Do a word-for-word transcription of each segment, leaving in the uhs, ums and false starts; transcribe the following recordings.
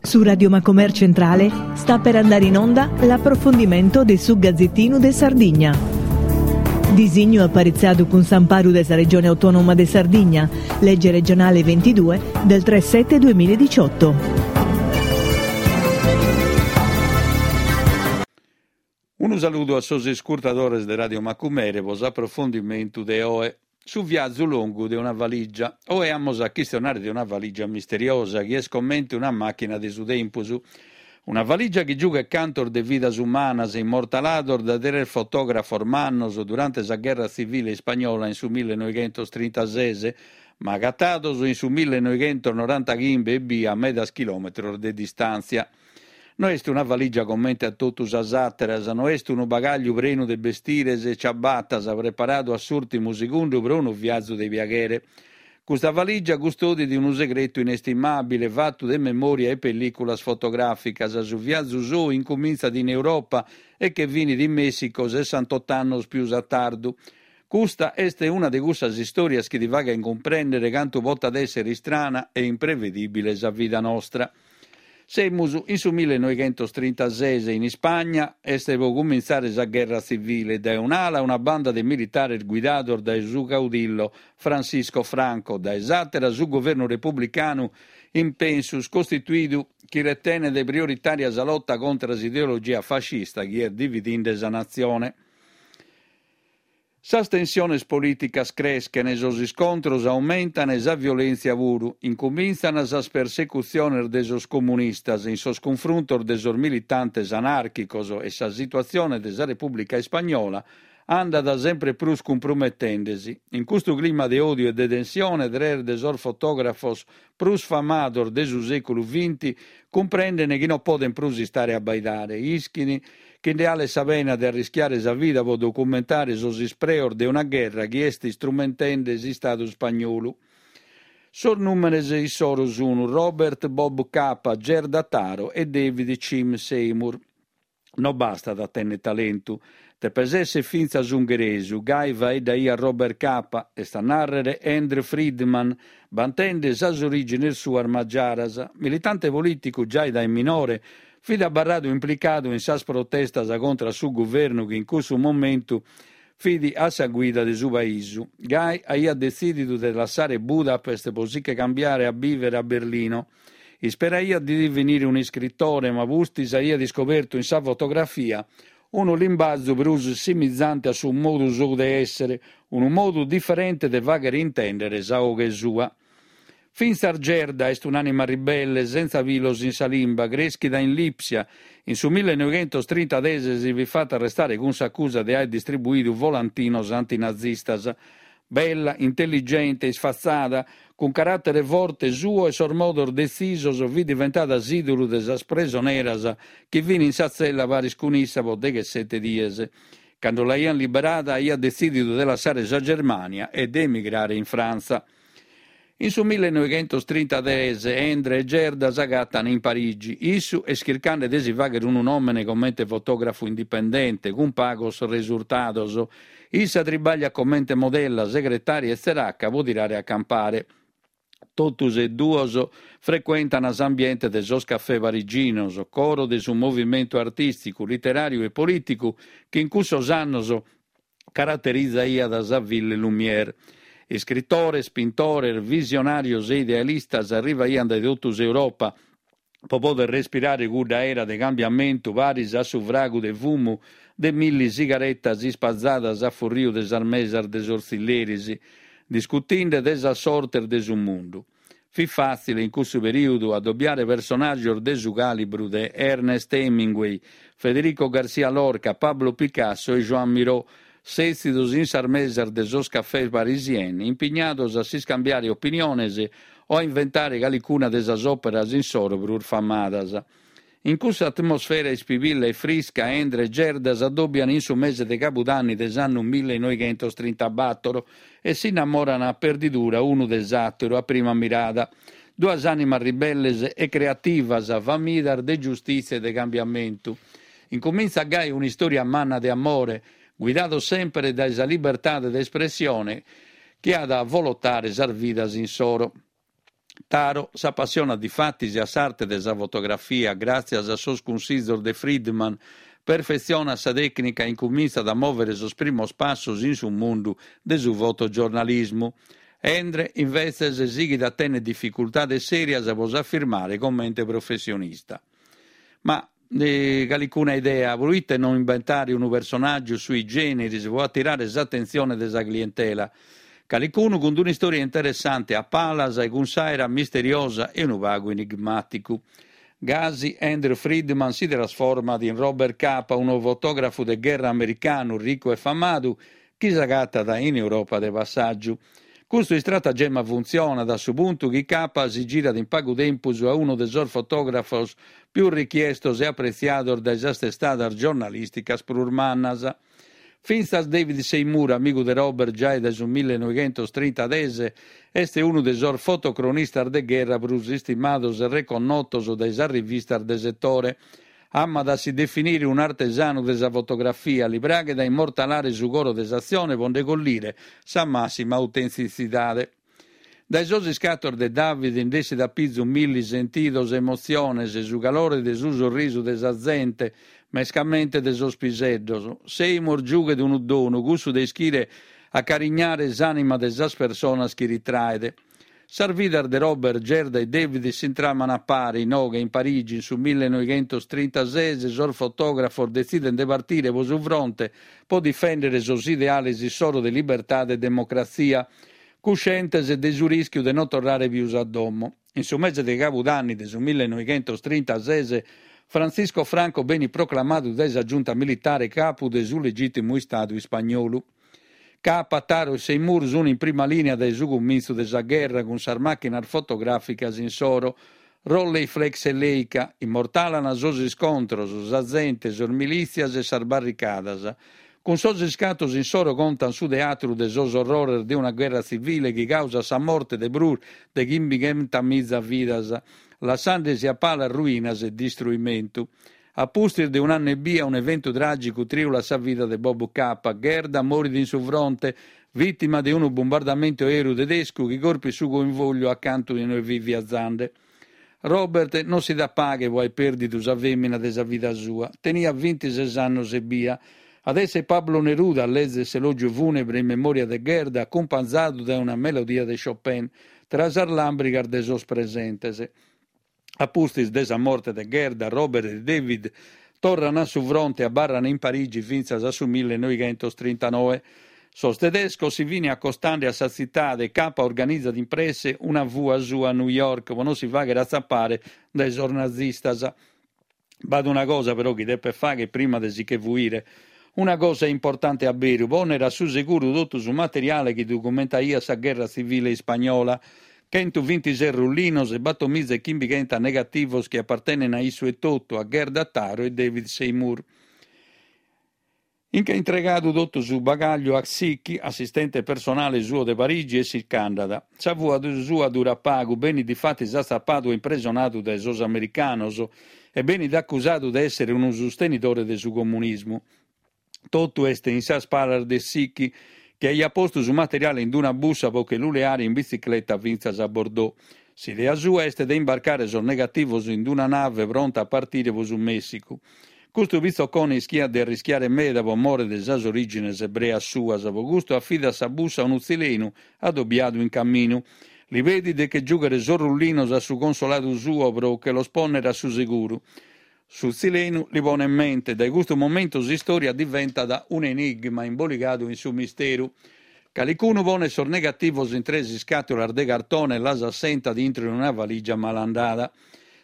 Su Radio Macomer Centrale sta per andare in onda l'approfondimento de su Gazzettinu de Sardigna. Disignu aparitzadu cun s'amparu de sa Regione Autonoma de Sardigna, legge regionale ventidue del tre sette duemiladiciotto. Unu saludu a sos iscurtadores de Radio Macumere pro s'aprofondimentu de oe. Su viazu longu de una valigia. Oe amus a chistionare de una valigia misteriosa chi est comente una màchina de su tempus. Una valigia chi giughet cantos de vidas umanas immortalados dae tres fotògrafos mannos durante sa gherra tzivile ispagnola in su millenoighentos trintases, ma agatados in su millenoighentos norantaghimbe ebbia a medas chilòmetros de distàntzia. No est una valigia comente a totu sas àteras, no est unu bagàgliu prenu de bestires e ciabatas preparadu a s'ùrtimu segundu pro unu viazu de piaghere. Custa valigia custodit unu segretu inestimàbile fatu de memòria e pellìculas fotogràficas. Su viazu sou incumintzat in Europa e che finit in Mèssico sessantotto annos pius a tardu. Custa est una de cussas istòrias chi ti faghent cumprèndere cantu potat èssere istrana e imprevedìbile sa vida nostra. Semus in su millenoighentos trintases, in Ispagna est pro cumintzare sa gherra tzivile. Dae un'ala una banda de militares guidados dae su caudillo Francisco Franco, dae s'àtera su guvernu republicanu in pensus costituidu chi retenet prioritària sa lota contra s'ideologia fascista chi est dividinde sa natzione. Sas tensiones polìticas creschen, sos iscontros aumentan e sa violèntzia puru. Incumintzan sas persecutziones de sos comunistas in sos cunfruntos de sos militantes anàrchicos e sa situatzione de sa Repùblica Ispagnola andat sempre prus cumprumetende-si. In custu clima de òdiu e de tensione, tres de sos fotògrafos prus famados de su sèculu vinti cumprenden chi non podent prus istare a abbaidare. Ischin chi nde 'alet sa pena de arrischiare sa vida pro documentare sos ispreos de una gherra chi est istrumentende s'Istadu ispagnolu. Sos nùmenes issoro sun Robert Bob Capa, Gerda Taro e David Chim Seymour. No bastat a tènnere talentu, depes èssere fintzas ungheresu, gai faeddaiat Robert Capa, est a nàrrere Endre Friedmann, bantende sas orìgines suas magiaras. Militante polìticu giai dae minore, fit abarradu implicadu in sas protestas contra su guvernu chi in cussu momentu fit a sa guida de su paisu. Gai aiat detzìdidu de lassare Budapest pro si che cambiare a bìvere a Berlino. Isperaiat de divenire un'iscritore, ma pustis aiat iscobertu in sa fotografia unu limbazu prus simizante a su modu sou de èssere, unu modu diferente de fàghere intèndere sa 'oghe sua. Fintzas Gerda est un'ànima ribelle, sentza pilos in sa limba, crèschida in Lipsia. In su millenoighentos trintases si fit fata arrestare cun s'acusa de aer distribuidu volantinos antinazistas. Bella, intelligente, isfatzada, cun caràtere forte suo e sos modos detzisos, fit diventada s'ìdolu de sas presoneras chi fin in sa tzella paris cun issa pro deghessete dies. Cando l'aiant liberada aiat detzìdidu de lassare sa Germània e de emigrare in Frantza. In su millenoighentos trintatres Endre e Gerda s'agatan in Parigi. Issu est chircande de si fàghere unu nòmene comente fotògrafu indipendente, cun pagos resurtados. Issa tribagliat comente modella, segretària e tzeraca pro tirare a campare. Totus e duos frecuentan s'ambiente de sos cafè pariginos, coro de su movimentu artìsticu, literàriu e polìticu chi in cussos annos caraterizaiat sa Ville Lumière. Iscritores, pintores, visionàrios e idealistas arrivaiant dae totu s'Europa pro pòdere respirare cudda aera de cambiamentu paris a su fragu de fumu de milli sigaretas ispazadas a furriu de sas mesas de sos tzilleris, discutinde de sas sortes de su mundu. Fit fàtzile in cussu perìodu adobiare personàgios de su càlibru de Ernest Hemingway, Federico García Lorca, Pablo Picasso e Joan Miró, sètzidos in sas mesas de sos cafès parisiens, impignados a s'iscambiare opiniones o a inventare calicuna de sas òperas insoro prus famadas. In cussa atmosfera ispibilla e frisca, Endre e Gerda s'adobian in su mese de cabudanni de s'annu millenoighentos trintabator e s'innamoran a perdidura unu de s'àteru a prima mirada. Duas ànimas ribelles e creativas, famidas de giustìtzia e de cambiamentu. Incumintzat gai un'istòria manna de amore, guidados semper dae sa libertade de espressione chi at a avolotare sas vidas insoro. Taro s'apassionat difatis a s'arte de sa fotografia gràtzias a sos cunsizos de Friedman, perfetzionat sa tècnica e incumintzat a mòvere sos primos passos in su mundu de su fotogiornalismu. Endre, invetzes, sighit a tènnere dificultades sèrias pro s'afirmare comente professionista. Ma calicuna idea, pro ite no imbentare unu personàgiu sui generis pro atirare s'atentzione de sa clientela? Calicunu cun un'istòria interessante a palas e cun s'àera misteriosa e unu pagu enigmàticu. Gasi Andrew Friedman si trasformat in Robert Capa, unu fotògrafu de gherra americanu ricu e famadu chi s'agatat in Europa de passàgiu. Custu istratagema funtzionat a su puntu chi Capa si girat in pagu tempus a unu de sos fotògrafos pius richiestos e apretziados dae sas testadas giornalìsticas prus mannas. Fintzas David Seymour, amigu de Robert giai dae su millenoighentos trintases, est unu de sos fotocronistas de gherra prus istimados e reconnotos dae sas rivistas de setore. Amat a si definire un'artesanu de sa fotografia, li praghet a immortalare su coro de s'atzione pro nde collire sa màssima autentitzidade. Dae sos iscatos de David nd'essit a pizu milli sentidos e emotziones, su calore de su sorrisu de sa zente, mescamente de sos piseddos. Seymour giughet unu donu, cussu de ischire acarignare s'ànima de sas personas chi ritraet. Sas vidas de Robert, Gerda e David s'intraman a pare, inoghe in Parigi, in su millenoighentos trintases, sos fotògrafos detzident de partire pro su fronte pro difèndere sos ideales issoro de libertade e democratzia, cuscientes de su rìschiu de non torrare pius a domo. In su mese de cabudanni de su millenoighentos trintases, Francisco Franco benit proclamadu dae sa giunta militare capu de su legìtimu Istadu ispagnolu. Capa, Taro e Seymour sunt in prima lìnia dae su cumintzu de sa gherra cun sas màchinas fotogràficas insoro, Rolleiflex e Leica, immortalan sos iscontros, sa zente, sos milìtzias e sas barricadas. Cun sos iscatos insoro contan su teatru de sos orrores de una gherra tzivile chi causat sa morte de prus de chimbighentamiza vidas, lassandesi a palas ruinas e distruimentu. A pustis de un'annu ebbia, un'eventu tràgicu trìulat sa vida de Bob Capa. Gerda morit in su fronte, vìtima de unu bombardamentu aèreu tedescu chi corpit su convògliu acantu inue fit viazende. Robert non si dat paghe pro aer pèrdidu sa fèmina de sa vida sua. Teniat bintises annos ebbia. At esser Pablo Neruda a lèzere s'elògiu fùnebre in memòria de Gerda, acumpanzadu dae una melodia de Chopin, tra sas làmbrigas de sos presentes. A pustis de sa morte de Gerda, Robert e David torran a su fronte e abarran in Parigi fintzas a su millenoighentos trintanoe. Sos tedescos si fin acostende a sa tzitade e Capa organizat in presse una fua sua a New York pro non si fàghere atzapare dae sos nazistas. B'at una cosa però chi depet fàghere prima de si che fuire. Una cosa importante a beru, pònnere a su seguru totu su materiale chi documentaiat sa gherra tzivile ispagnola. Chentu bintises rullinos e bator miza e chimbighenta negativos chi apartenen a issu etotu, a Gerda Taro e David Seymour. Nch'at intregadu totu su bagàgliu a Xiki, assistente personale suo de Parigi, e si ch'andat. Sa fua sua durat pagu, benit difatis atzapadu e impresonadu dae sos americanos e benit acusadu de èssere unu sustenidore de su comunismu. Totu est in sas palas de Xiki, chi aiat postu su materiale in una bussa pro che lu leare in bitzicleta fintzas a Bordeaux. S'idea sua est de imbarcare sos negativos in una nave pronta a partire pro su Mèssicu. Custu pitzocone ischiat de arrischiare meda pro more de sas orìgines ebreas suas, pro custu afidat sa bussa a unu tzilenu adobiadu in caminu. Li pedit de che giùghere sos rullinos a su consoladu suo pro che los pònnere a su seguru. Su tzilenu li ponet mente. Dae custu momentu s'istòria diventat un'enigma imboligadu in su misteru. Calicunu ponet sos negativos in tres iscàtulas de cartone e las assentat intro in una valigia malandada.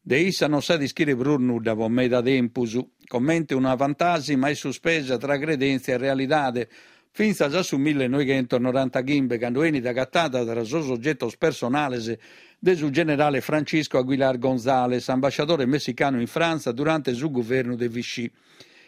De issa non s'at ischire prus nudda pro meda tempus. Comente una fantàsima est suspesa tra credèntzia e realidade, fintzas a su millenoighentos norantachimbe, cando 'enit agatada tra sos ogetos personales de su generale Francisco Aguilar González, ambasciadore messicanu in Frantza durante su guvernu de Vichy.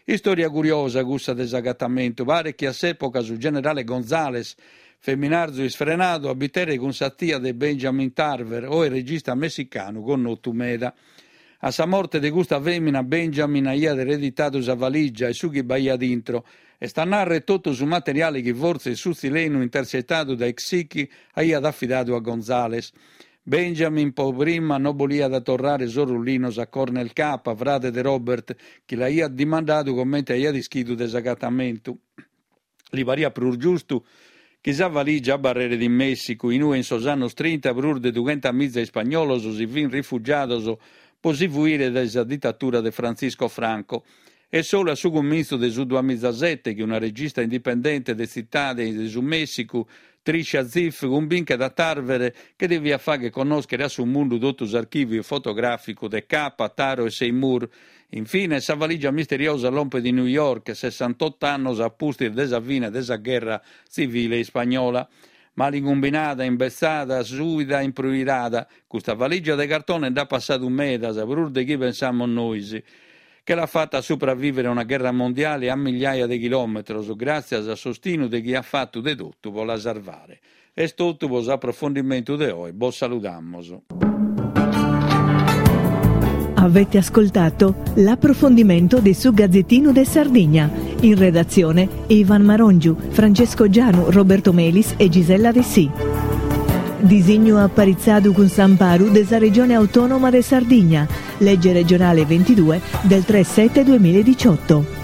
Istòria curiosa cussa de s'agatamentu. Paret chi a s'època su generale González, feminarzu isfrenadu, abiteret cun sa tia de Benjamin Tarver, oe regista messicanu connotu meda. A sa morte de custa fèmina, Benjamin aiat ereditadu sa valigia e su chi b'aiat intro, est a nàrrere totu su materiale chi fortzis su tzilenu intercetadu dae Xiki aiat afidadu a González. Benjamin po prima no boliat torrare sos rullinos a Cornel Capa, frade de Robert, chi l'aiat dimandadu comente aiat ischidu de s'agatamentu. Li pariat prus giustu chi sa valigia abarreret in Mèssicu, in ue in sos annos trinta prus de dughentamiza ispagnolos si fin rifugiados po si fuire dae sa ditatura de Frantzisco Franco. Est solu a su cumintzu de su duamizasete chi una regista indipendente de Tzitade de su Mèssicu, Trisha Ziff, cumbinchet a Tarver chi deviat fàghere connòschere a su mundu totu s'archìviu fotogràficu de Capa, Taro e Seymour. In fines, sa valigia misteriosa lompet in New York, sessantotto annos a pustis de sa fine de sa gherra tzivile ispagnola. Malincumbinada, imbetzada, suida, impruirada, custa valigia de cartone nd'at passadu medas, prus de chi pensamus nois. Che l'at fata a supravìvere a una gherra mondiale a migliaia de chilòmetros, gràtzias a s'ostinu de chie at fatu de totu pro la sarvare. Est totu pro s'aprofondimentu de oe, bos saludamus. Avete ascoltato l'approfondimento di Su Gazzettino de Sardigna. In redazione Ivan Marongiu, Francesco Gianu, Roberto Melis e Gisella Dessì. Disignu aparitzadu cun s'amparu de sa Regione Autonoma de Sardigna, legge regionale ventidue del tre sette duemiladiciotto.